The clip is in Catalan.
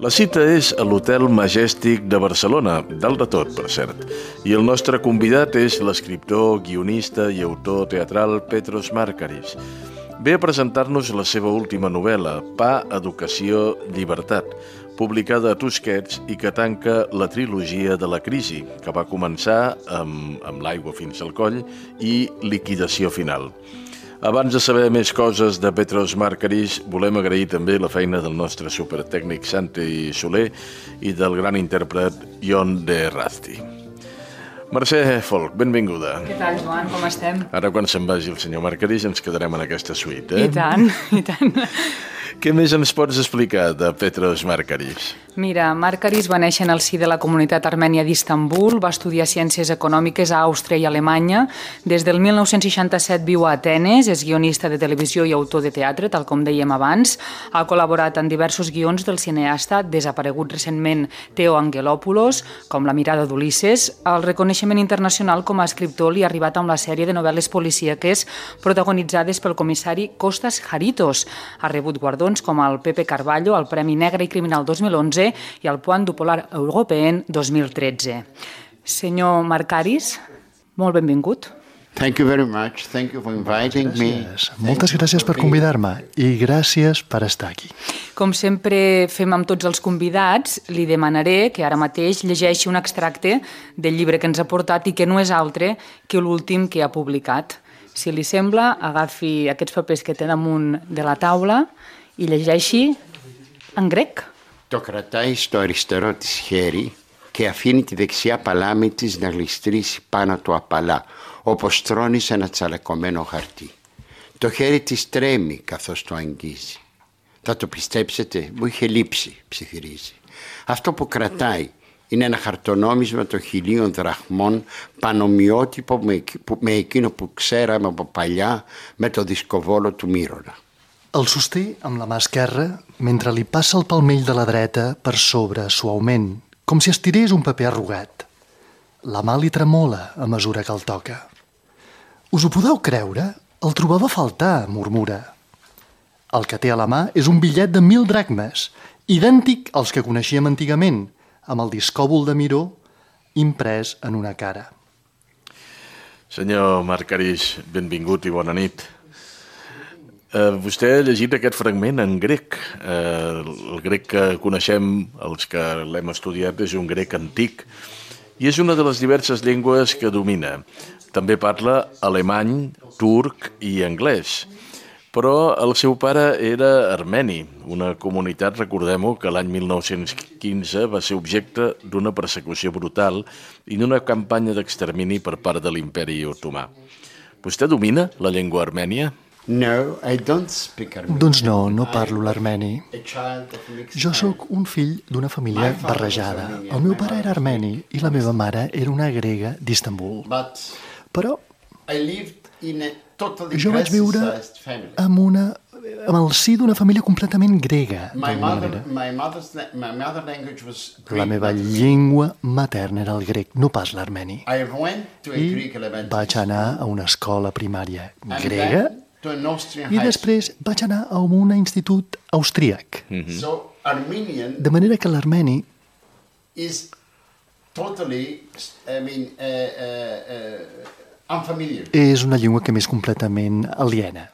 La cita és a l'Hotel Majestic de Barcelona, dalt de tot, per cert. I el nostre convidat és l'escriptor, guionista i autor teatral Petros Markaris. Ve a presentar-nos la seva última novel·la, Pa, Educació, Llibertat, publicada a Tusquets i que tanca la trilogia de la crisi, que va començar amb L'aigua fins al coll i Liquidació final. Abans de saber més coses de Petros Markaris, volem agrair també la feina del nostre supertècnic Santi Soler i del gran intèrpret Jon de Razti. Mercè Folch, benvinguda. Què tal, Joan? Com estem? Ara, quan se'n vagi el senyor Markaris, ens quedarem en aquesta suite, eh? I tant, i tant. Què més ens pots explicar de Petros Markaris? Mira, Markaris va néixer en el si de la comunitat armènia d'Istanbul, va estudiar Ciències Econòmiques a Àustria i Alemanya. Des del 1967 viu a Atenes, és guionista de televisió i autor de teatre, tal com dèiem abans. Ha col·laborat en diversos guions del cineasta desaparegut recentment Theo Angelopoulos, com La mirada d'Ulisses. El reconeixement internacional com a escriptor li ha arribat amb la sèrie de novel·les policíaques protagonitzades pel comissari Kostas Haritos. Ha rebut guardons com el Pepe Carvalho, el Premi Negre i Criminal 2011 i el Point du Polar Européen 2013. Senyor Markaris, molt benvingut. Thank you very much. Thank you for inviting me. Moltes gràcies per convidar-me i gràcies per estar aquí. Com sempre fem amb tots els convidats, li demanaré que ara mateix llegeixi un extracte del llibre que ens ha portat i que no és altre que l'últim que ha publicat. Si li sembla, agafi aquests papers que té damunt de la taula i llegeixi en grec. Το κρατάει στο αριστερό της χέρι και αφήνει τη δεξιά παλάμη της να γλιστρήσει πάνω του απαλά, όπως τρώνει σε ένα τσαλακωμένο χαρτί. Το χέρι της τρέμει καθώς το αγγίζει. Θα το πιστέψετε, μου είχε λείψει, ψιθυρίζει. Αυτό που κρατάει είναι ένα χαρτονόμισμα των 1.000 δραχμών, πανομοιότυπο με εκείνο που ξέραμε από παλιά με το δισκοβόλο του Μύρονα. El sosté amb la mà esquerra mentre li passa el palmell de la dreta per sobre suaument, com si estirés un paper arrugat. La mà li tremola a mesura que el toca. Us ho podeu creure? El trobava a faltar, murmura. El que té a la mà és un bitllet de 1.000 dracmes, idèntic als que coneixíem antigament, amb el discòbol de Miró imprès en una cara. Senyor Markaris, benvingut i bona nit. Vostè ha llegit aquest fragment en grec. El grec que coneixem, els que l'hem estudiat, és un grec antic i és una de les diverses llengües que domina. També parla alemany, turc i anglès. Però el seu pare era armeni, una comunitat, recordem-ho, que l'any 1915 va ser objecte d'una persecució brutal i d'una campanya d'extermini per part de l'Imperi Otomà. Vostè domina la llengua armènia? No, I don't speak Armenian. Doncs no, no parlo l'armeni. Jo sóc un fill d'una família barrejada. El meu pare era armeni i la meva mare era una grega d'Istanbul. Però jo vaig viure amb el si d'una família completament grega. La meva llengua materna era el grec, no pas l'armeni. I vaig anar a una escola primària grega i després vaig anar a un institut austríac. De manera que l'armeni és una llengua que m'és completament aliena.